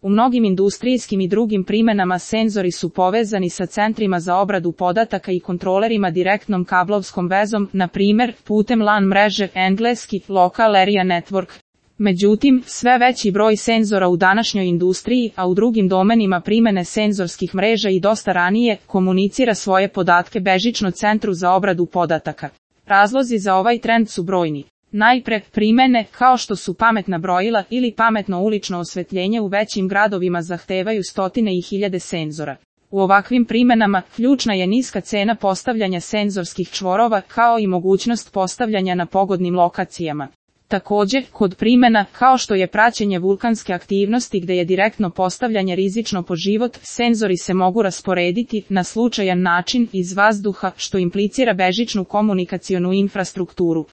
U mnogim industrijskim i drugim primenama senzori su povezani sa centrima za obradu podataka i kontrolerima direktnom kablovskom vezom, na primjer, putem LAN mreže, engleski Local Area Network. Međutim, sve veći broj senzora u današnjoj industriji, a u drugim domenima primene senzorskih mreža i dosta ranije, komunicira svoje podatke bežično centru za obradu podataka. Razlozi za ovaj trend su brojni. Najpre, primene, kao što su pametna brojila ili pametno ulično osvetljenje u većim gradovima zahtevaju stotine i hiljade senzora. U ovakvim primenama, ključna je niska cena postavljanja senzorskih čvorova, kao i mogućnost postavljanja na pogodnim lokacijama. Također, kod primena, kao što je praćenje vulkanske aktivnosti gde je direktno postavljanje rizično po život, senzori se mogu rasporediti na slučajan način iz vazduha, što implicira bežičnu komunikacionu infrastrukturu.